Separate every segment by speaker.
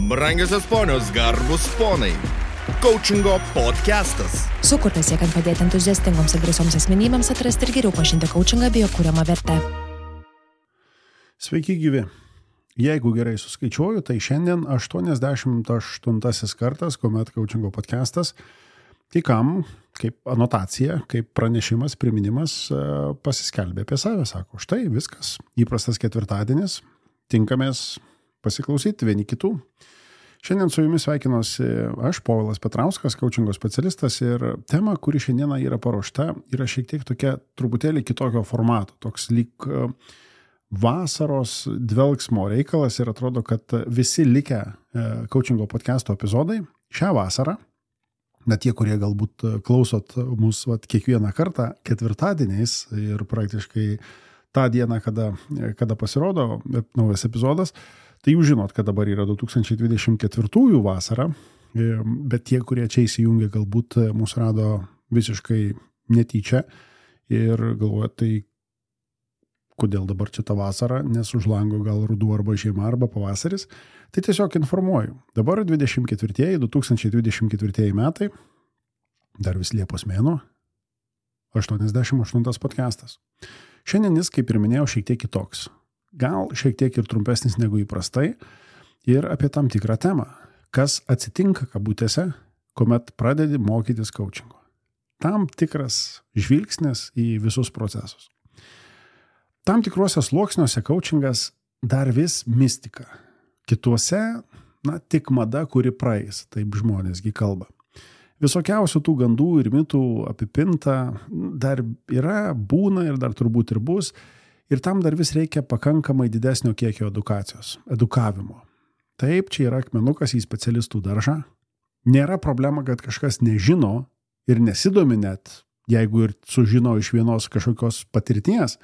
Speaker 1: Brangiosios ponios, garbus ponai. Coachingo podcastas.
Speaker 2: Sukurtas siekiant padėti entuziastingoms ir drąsioms asmenybėms atrasti ir geriau pažinti coachingą bei jo kuriamą vertę.
Speaker 3: Sveiki gyvi. Jeigu gerai suskaičiuoju, tai šiandien 88 kartas, kuomet coachingo podcastas, kai kam, kaip anotacija, kaip pranešimas, priminimas, pasiskelbė apie save. Sako, štai viskas, įprastas ketvirtadienis, tinkamės pasiklausyti vieni kitų. Šiandien su jumis sveikinuosi aš, Povilas Petrauskas, coachingo specialistas, ir tema, kuri šiandieną yra paruošta, yra šiek tiek tokia truputėlį kitokio formato, toks lyg vasaros dvelksmo reikalas, ir atrodo, kad visi likę coachingo podcasto epizodai šią vasarą, net tie, kurie galbūt klausot mūsų kiekvieną kartą ketvirtadieniais ir praktiškai tą dieną, kada pasirodo naujas epizodas, tai jūs žinot, kad dabar yra 2024 vasara, bet tie, kurie čia įsijungia, galbūt mūsų rado visiškai netyčia ir galvoja, tai kodėl dabar čia ta vasara, nes už lango gal ruduo arba žiema arba pavasaris, tai tiesiog informuoju. Dabar 2024 metai, dar vis Liepos mėnuo, 88 podcastas. Šiandien jis, kaip ir minėjau, šiek tiek kitoks. Gal šiek tiek ir trumpesnis negu įprastai ir apie tam tikrą temą. Kas atsitinka kabutėse, kuomet pradedi mokytis coachingo. Tam tikras žvilgsnis į visus procesus. Tam tikruose sluoksniuose coachingas dar vis mistika. Kituose, tik mada, kuri praeis, taip žmonėsgi kalba. Visokiausių tų gandų ir mitų apipinta dar yra, būna ir dar turbūt ir bus. Ir tam dar vis reikia pakankamai didesnio kiekio edukavimo. Taip, čia yra akmenukas į specialistų daržą. Nėra problema, kad kažkas nežino ir nesidomi net, jeigu ir sužino iš vienos kažkokios patirties.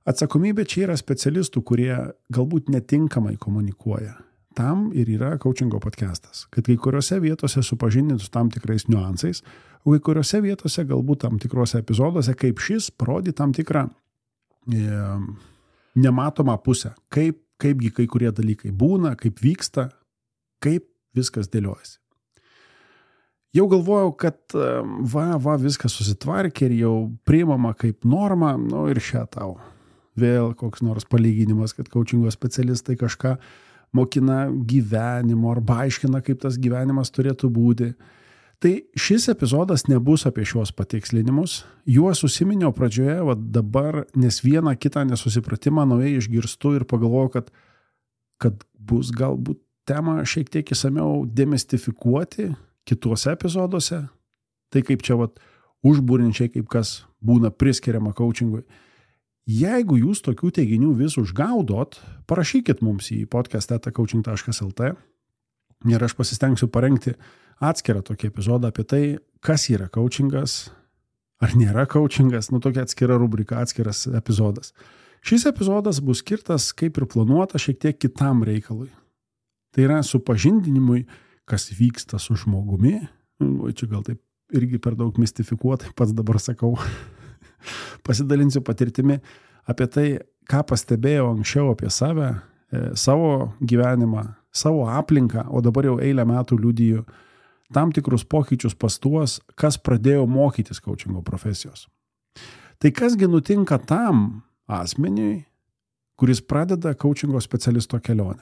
Speaker 3: Atsakomybė čia yra specialistų, kurie galbūt netinkamai komunikuoja. Tam ir yra coachingo podcastas, kad kai kuriuose vietose supažindintų tam tikrais niuansais, o kai kuriuose vietose galbūt tam tikrose epizoduose, kaip šis, parodė tam tikrą nematomą pusę, kaipgi kai kurie dalykai būna, kaip vyksta, kaip viskas dėliojasi. Jau galvojau, kad viskas susitvarkė ir jau priimama kaip norma, ir šią tau. Vėl koks nors palyginimas, kad coachingo specialistai kažką mokina gyvenimo arba aiškina, kaip tas gyvenimas turėtų būti. Tai šis epizodas nebus apie šios patikslinimus. Juos užsiminiau pradžioje, dabar, nes vieną kitą nesusipratimą naujai išgirstu ir pagalvoju, kad bus galbūt temą šiek tiek įsamiau demistifikuoti kituose epizoduose. Tai kaip čia užbūrinčiai, kaip kas būna priskiriama coachingui. Jeigu jūs tokių teiginių vis užgaudot, parašykit mums į podcast@coaching.lt ir aš pasistengsiu parengti atskirą tokį epizodą apie tai, kas yra coachingas, ar nėra coachingas, tokia atskira rubrika, atskiras epizodas. Šis epizodas bus skirtas, kaip ir planuota, šiek tiek kitam reikalui. Tai yra supažindinimui, kas vyksta su žmogumi. Čia gal taip irgi per daug mistifikuotai, pats dabar sakau. Pasidalinsiu patirtimi apie tai, ką pastebėjau anksčiau apie save, savo gyvenimą, savo aplinką, o dabar jau eilę metų liudiju tam tikrus pokyčius pas tuos, kas pradėjo mokytis coachingo profesijos. Tai kasgi nutinka tam asmeniui, kuris pradeda coachingo specialisto kelionę?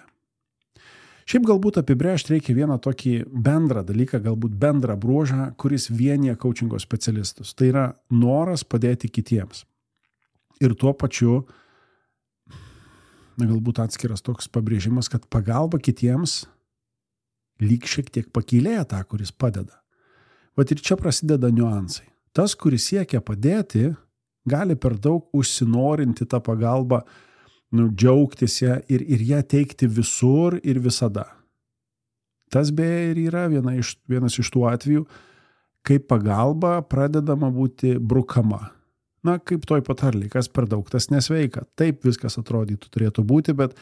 Speaker 3: Šiaip galbūt apibrėžti reikia vieną tokį bendrą dalyką, galbūt bendrą bruožą, kuris vienija coachingo specialistus. Tai yra noras padėti kitiems. Ir tuo pačiu, galbūt atskiras toks pabrėžimas, kad pagalba kitiems lyg šiek tiek pakylėja tą, kuris padeda. Ir čia prasideda niuansai. Tas, kuris siekia padėti, gali per daug užsinorinti tą pagalbą, džiaugtis ją ir ją teikti visur ir visada. Tas beje ir yra vienas iš tų atvejų, kai pagalba pradedama būti brukama. Kaip toj patarlėj, kas per daug, tas nesveika. Taip viskas atrodytų turėtų būti, bet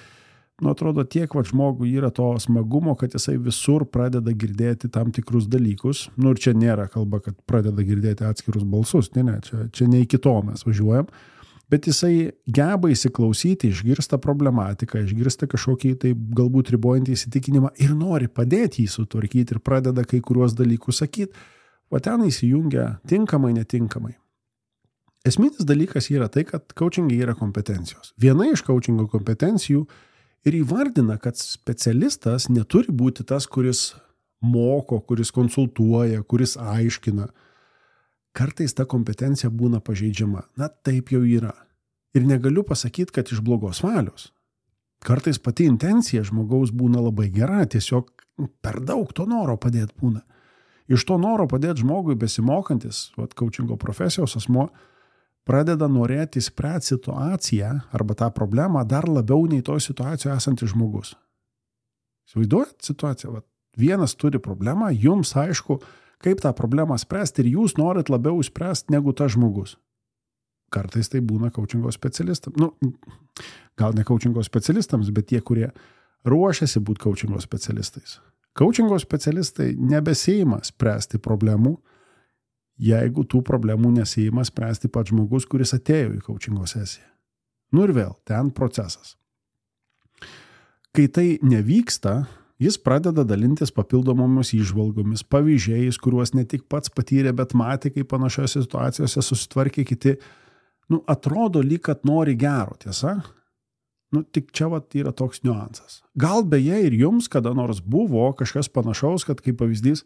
Speaker 3: atrodo tiek žmogui yra to smagumo, kad jisai visur pradeda girdėti tam tikrus dalykus. Ir čia nėra kalba, kad pradeda girdėti atskirus balsus. Ne, čia ne iki to mes važiuojam. bet jisai geba įsiklausyti, išgirsta problematiką, išgirsta kažkokį tai galbūt ribojantį įsitikinimą ir nori padėti jį sutvarkyti ir pradeda kai kuriuos dalykus sakyti, o ten įsijungia tinkamai, netinkamai. Esminis dalykas yra tai, kad coachingai yra kompetencijos. Viena iš coachingo kompetencijų ir įvardina, kad specialistas neturi būti tas, kuris moko, kuris konsultuoja, kuris aiškina. Kartais ta kompetencija būna pažeidžiama. Na, taip jau yra. Ir negaliu pasakyti, kad iš blogos valios. Kartais pati intencija žmogaus būna labai gera, tiesiog per daug to noro padėti būna. Iš to noro padėti žmogui besimokantis, coachingo profesijos asmuo, pradeda norėti spręsti situaciją arba tą problemą dar labiau nei toj situacijoje esantis žmogus. Įsivaizduojat situaciją? Vienas turi problemą, jums aišku, kaip tą problemą spręsti ir jūs norit labiau spręsti negu tas žmogus. Kartais tai būna coachingo specialistams. Gal ne coachingo specialistams, bet tie, kurie ruošiasi būti coachingo specialistais. Coachingo specialistai nebesiima spręsti problemų, jeigu tų problemų nesiima spręsti pats žmogus, kuris atėjo į coachingo sesiją. Ir vėl, ten procesas. Kai tai nevyksta, jis pradeda dalintis papildomomis įžvalgomis, pavyzdžiais, kuriuos ne tik pats patyrė, bet matė, kaip panašiose situacijose susitvarkė kiti. Atrodo lyg, kad nori gero, tiesa? Tik čia yra toks niuansas. Gal beje ir jums kada nors buvo kažkas panašaus, kad kaip pavyzdys,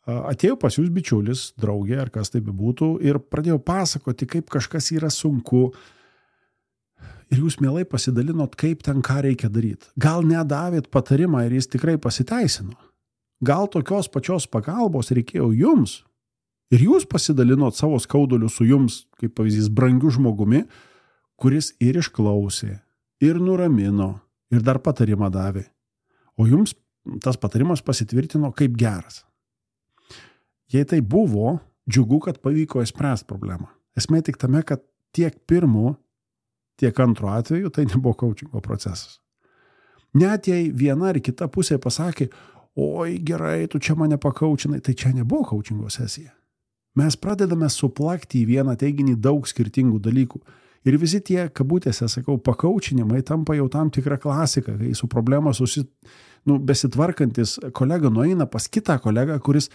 Speaker 3: atėjo pas jūs bičiulis, draugė ar kas tai bebūtų ir pradėjo pasakoti, kaip kažkas yra sunku ir jūs mielai pasidalinot, kaip ten ką reikia daryti. Gal nedavėt patarimą ir jis tikrai pasiteisino. Gal tokios pačios pagalbos reikėjo jums ir jūs pasidalinot savo skauduliu su jums, kaip pavyzdys, brangiu žmogumi, kuris ir išklausė, ir nuramino, ir dar patarimą davė. O jums tas patarimas pasitvirtino kaip geras. Jei tai buvo, džiugu, kad pavyko išspręsti problemą. Esmė tik tame, kad tiek pirmu, tiek antru atveju tai nebuvo coachingo procesas. Net jei viena ar kita pusė pasakė, oi gerai, tu čia mane pakaučinai, tai čia nebuvo coachingo sesija. Mes pradedame suplakti į vieną teiginį daug skirtingų dalykų. Ir visi tie, kabutėse, sakau, pakaučinimai tampa jau tam tikra klasika, kai su problema besitvarkantis kolega nueina pas kitą kolegą, kuris,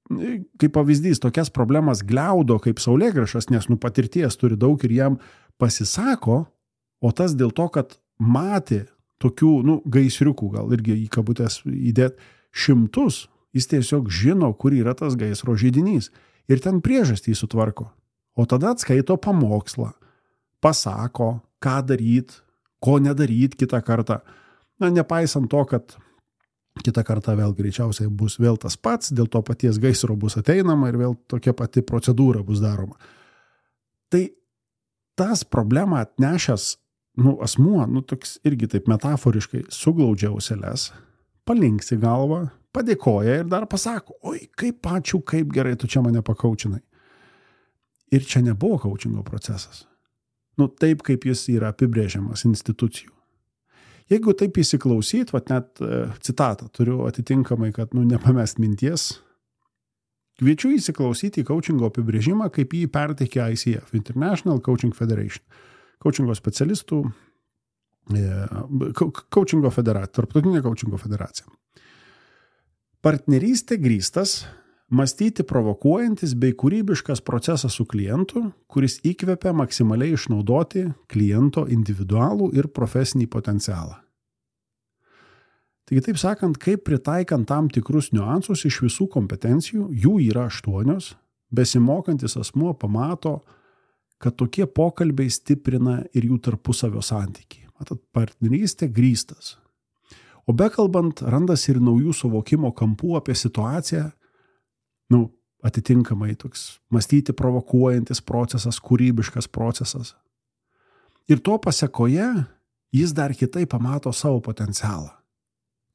Speaker 3: kaip pavyzdys, tokias problemas gliaudo kaip saulėgrąžas, nes patirties turi daug ir jam pasisako, o tas dėl to, kad matė tokių gaisriukų, gal irgi į kabutės įdėt šimtus, jis tiesiog žino, kur yra tas gaisro židinys ir ten priežastį sutvarko. O tada atskaito pamokslą, pasako, ką daryt, ko nedaryt kitą kartą. Nepaisant to, kad kitą kartą vėl greičiausiai bus vėl tas pats, dėl to paties gaisro bus ateinama ir vėl tokia pati procedūra bus daroma. Tai tas problemą atnešęs asmuo, toks irgi taip metaforiškai suglaudžia auseles, palinksi galvą, padėkoja ir dar pasako, oi, kaip ačiū, kaip gerai tu čia mane pakaučinai. Ir čia nebuvo coachingo procesas. Taip, kaip jis yra apibrėžiamas institucijų. Jeigu taip įsiklausyt, net citatą turiu atitinkamai, kad nepamest minties, kviečiu įsiklausyti į coachingo apibrėžimą, kaip jį perteikė ICF, International Coaching Federation. Coachingo specialistų, coachingo federacija, tarptautinė coachingo federacija. Partnerystė grįstas, mąstyti provokuojantis bei kūrybiškas procesas su klientu, kuris įkvepia maksimaliai išnaudoti kliento individualų ir profesinį potencialą. Taigi taip sakant, kaip pritaikant tam tikrus niuansus iš visų kompetencijų, jų yra 8, besimokantis asmuo pamato, kad tokie pokalbiai stiprina ir jų tarpusavio santykį. Matot, partnerystė grįstas. O bekalbant, randasi ir naujų suvokimo kampų apie situaciją, atitinkamai toks mąstyti provokuojantis procesas, kūrybiškas procesas. Ir to pasekoje jis dar kitaip pamato savo potencialą,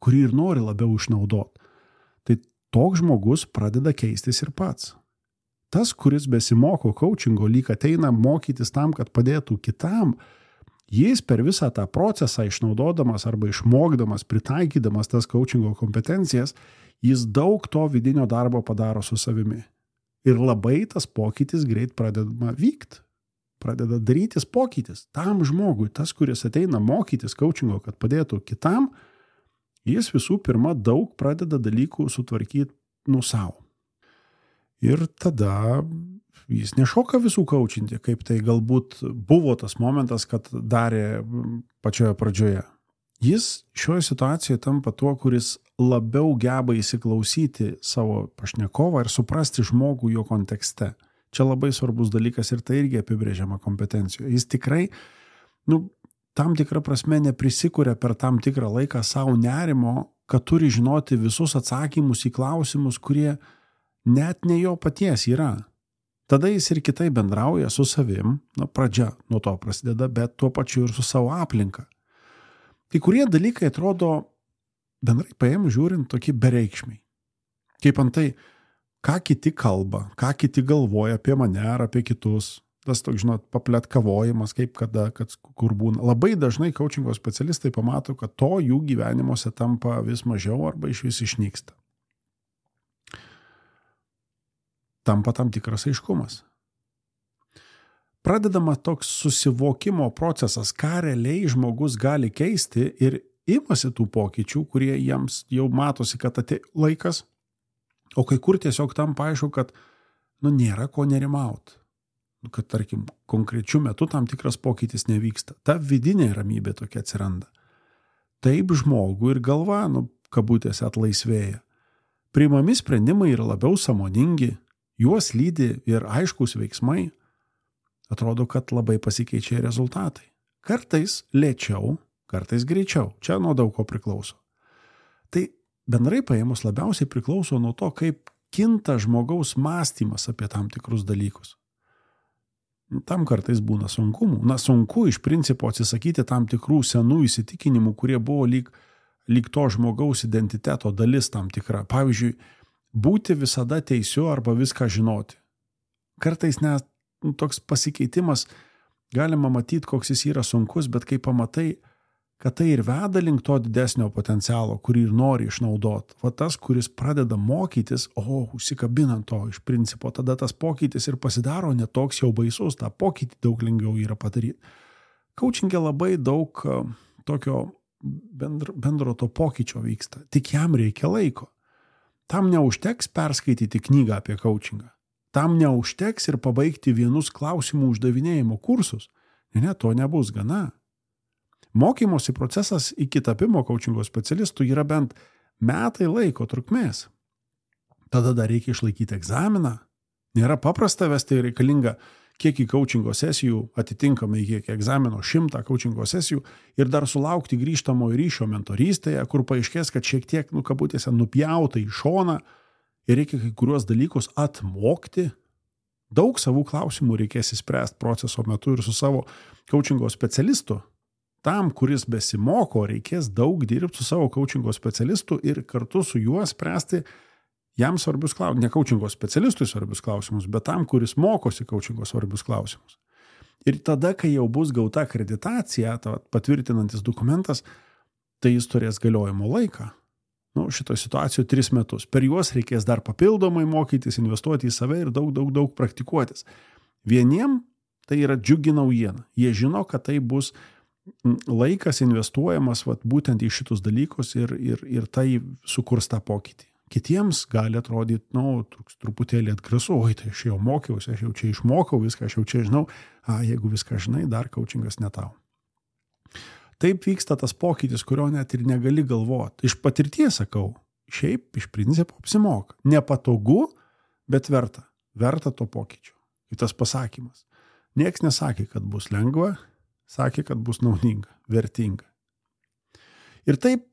Speaker 3: kurį ir nori labiau išnaudoti. Tai toks žmogus pradeda keistis ir pats. Tas, kuris besimoko coachingo, lyg ateina mokytis tam, kad padėtų kitam, jis per visą tą procesą išnaudodamas arba išmokdamas, pritaikydamas tas coachingo kompetencijas, jis daug to vidinio darbo padaro su savimi. Ir labai tas pokytis greit pradedama vykti. pradeda darytis pokytis. Tam žmogui, tas, kuris ateina mokytis coachingo, kad padėtų kitam, jis visų pirma daug pradeda dalykų sutvarkyti savo. Ir tada jis nešoka visų coachinti, kaip tai galbūt buvo tas momentas, kad darė pačioje pradžioje. Jis šioje situacijoje tampa tuo, kuris labiau geba įsiklausyti savo pašnekovą ir suprasti žmogų jo kontekste. Čia labai svarbus dalykas ir tai irgi apibrėžiama kompetencijoje. Jis tikrai, tam tikrą prasme neprisikuria per tam tikrą laiką savo nerimo, kad turi žinoti visus atsakymus į klausimus, kurie net ne jo paties yra. Tada jis ir kitai bendrauja su savim, pradžia nuo to prasideda, bet tuo pačiu ir su savo aplinka. Kai kurie dalykai atrodo, bendrai paėmus žiūrint, tokie bereikšmiai. Kaip antai, ką kiti kalba, ką kiti galvoja apie mane ar apie kitus. Tas toks, papletkavojimas, kaip kada, kur būna. Labai dažnai coachingo specialistai pamato, kad to jų gyvenimuose tampa vis mažiau arba iš vis išnyksta. Tampa tam tikras aiškumas. Pradedama toks susivokimo procesas, ką realiai žmogus gali keisti ir imasi tų pokyčių, kurie jiems jau matosi, kad atėjo laikas, o kai kur tiesiog tampa aišku, kad nėra ko nerimauti. Kad, tarkim, konkrečiu metu tam tikras pokytis nevyksta. Ta vidinė ramybė tokia atsiranda. Taip žmogų ir galva, kabutėse, atlaisvėja. Priimami sprendimai yra labiau sąmoningi, juos lydi ir aiškus veiksmai. Atrodo, kad labai pasikeičia rezultatai. Kartais lėčiau, kartais greičiau. Čia nuo daug ko priklauso. Tai bendrai paėmus labiausiai priklauso nuo to, kaip kinta žmogaus mąstymas apie tam tikrus dalykus. Tam kartais būna sunkumų. Sunku iš principo atsisakyti tam tikrų senų įsitikinimų, kurie buvo lyg to žmogaus identiteto dalis tam tikra. Pavyzdžiui, būti visada teisiu arba viską žinoti. Kartais net toks pasikeitimas galima matyti, koks jis yra sunkus, bet kai pamatai, kad tai ir veda link to didesnio potencialo, kurį ir nori išnaudoti. Va tas, kuris pradeda mokytis, užsikabinant to iš principo, tada tas pokytis ir pasidaro netoks jau baisus, tą pokytį daug lengviau yra padaryti. Coachingė labai daug tokio bendro to pokyčio vyksta, tik jam reikia laiko. Tam neužteks perskaityti knygą apie coachingą. Tam neužteks ir pabaigti vienus klausimų uždavinėjimo kursus. Ne, to nebus gana. Mokymosi procesas iki tapimo coachingo specialistų yra bent metai laiko trukmės. Tada dar reikia išlaikyti egzaminą. Nėra paprasta vesti, reikalinga kiek į coachingo sesijų, atitinkamai kiek egzamino 100 coachingo sesijų ir dar sulaukti grįžtamojo ryšio mentorystėje, kur paaiškės, kad šiek tiek, kabutėse, nupjauta į šoną ir reikia kai kuriuos dalykus atmokti. Daug savų klausimų reikės įspręsti proceso metu ir su savo coachingo specialistu. Tam, kuris besimoko, reikės daug dirbti su savo coachingo specialistu ir kartu su juo spręsti jam svarbius klausimus. Ne coachingo specialistui svarbius klausimus, bet tam, kuris mokosi coachingo svarbius klausimus. Ir tada, kai jau bus gauta akreditacija, patvirtinantis dokumentas, tai jis turės galiojimo laiką. Šitoje situacijoje 3 metus. Per juos reikės dar papildomai mokytis, investuoti į save ir daug praktikuotis. Vieniem tai yra džiugi naujiena. Jie žino, kad tai bus laikas investuojamas būtent į šitus dalykus ir tai sukurs tą pokytį. Kitiems gali atrodyti, truputėlį atgrasu, tai aš jau mokiausi, aš jau čia išmokau viską, aš jau čia žinau, jeigu viską žinai, dar coachingas ne tau. Taip vyksta tas pokytis, kurio net ir negali galvoti. Iš patirties sakau, šiaip iš principo apsimoka. Nepatogu, bet verta. Verta to pokyčio. Ir tas pasakymas. Niekas nesakė, kad bus lengva, sakė, kad bus naudinga, vertinga. Ir taip,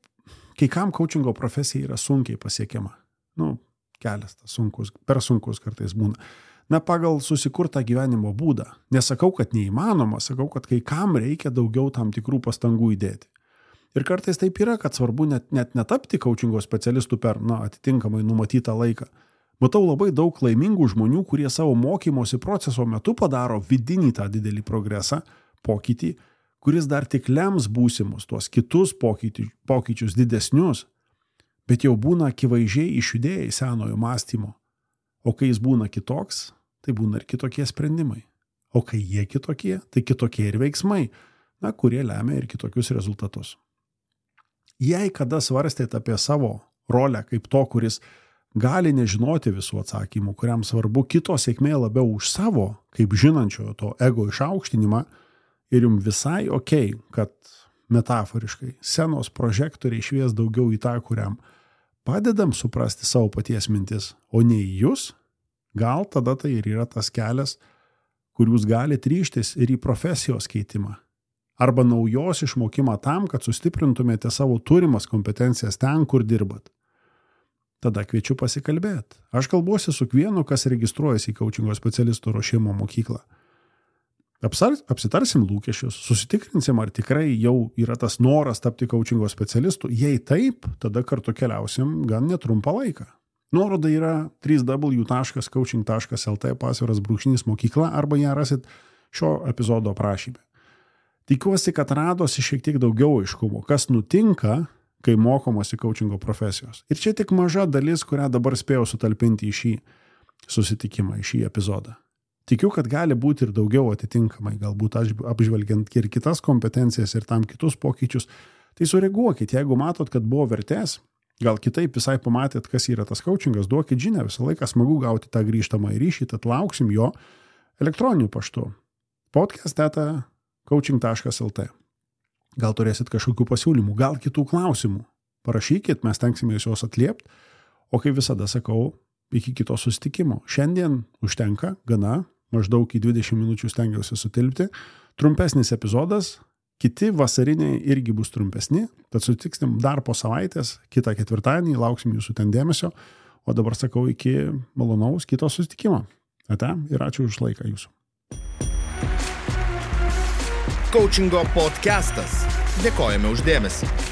Speaker 3: kai kam coachingo profesija yra sunkiai pasiekiama. Kelias tas sunkus, per sunkus kartais būna. Pagal susikurtą gyvenimo būdą. Nesakau, kad neįmanoma, sakau, kad kai kam reikia daugiau tam tikrų pastangų įdėti. Ir kartais taip yra, kad svarbu net netapti coachingo specialistų per atitinkamai numatytą laiką. Matau labai daug laimingų žmonių, kurie savo mokymosi proceso metu padaro vidinį tą didelį progresą, pokytį, kuris dar tik lems būsimus, tuos kitus pokyčius didesnius, bet jau būna akivaizdžiai išjudėję į senojo mąstymo. O kai jis būna kitoks, tai būna ir kitokie sprendimai. O kai jie kitokie, tai kitokie ir veiksmai, kurie lemia ir kitokius rezultatus. Jei kada svarstėte apie savo rolę kaip to, kuris gali nežinoti visų atsakymų, kuriam svarbu kito sėkmė labiau už savo, kaip žinančiojo to ego išaukštinimą, ir jums visai okei, kad metaforiškai scenos prožektoriai švies daugiau į tą, kuriam padedam suprasti savo paties mintis, o ne į jūs, gal tada tai ir yra tas kelias, kur jūs galite ryžtis ir į profesijos keitimą. Arba naujos išmokimą tam, kad sustiprintumėte savo turimas kompetencijas ten, kur dirbat. Tada kviečiu pasikalbėti. Aš kalbuosi su kiekvienu, kas registruojasi į coachingo specialistų ruošimo mokyklą. Apsitarsim lūkesčius, susitikrinsim, ar tikrai jau yra tas noras tapti coachingo specialistu. Jei taip, tada kartu keliausim gan netrumpą laiką. Nuoroda yra www.coaching.lt/mokykla arba ją rasit šio epizodo aprašyme. Tikiuosi, kad radosi šiek tiek daugiau aiškumo, kas nutinka, kai mokomasi coachingo profesijos. Ir čia tik maža dalis, kurią dabar spėjau sutalpinti į šį susitikimą, į šį epizodą. Tikiu, kad gali būti ir daugiau atitinkamai, galbūt apžvelgiant ir kitas kompetencijas ir tam kitus pokyčius. Tai sureaguokit, jeigu matot, kad buvo vertės, gal kitaip visai pamatėt, kas yra tas coachingas, duokit žinią, visą laiką smagu gauti tą grįžtamą ryšį, tad lauksim jo elektroniniu paštu. podcast@coaching.lt. Gal turėsit kažkokių pasiūlymų, gal kitų klausimų. Parašykit, mes tenksime juos atliepti, o kaip visada sakau, iki kito susitikimo. Šiandien užtenka, gana, maždaug į 20 minučių stengiausi sutilpti. Trumpesnis epizodas, kiti vasariniai irgi bus trumpesni, tad sutiksim dar po savaitės, kitą ketvirtadienį, lauksim jūsų ten dėmesio, o dabar sakau iki malonaus kito susitikimo. Ate ir ačiū už laiką jūsų.
Speaker 1: Coachingo podcastas. Dėkojame už dėmesį.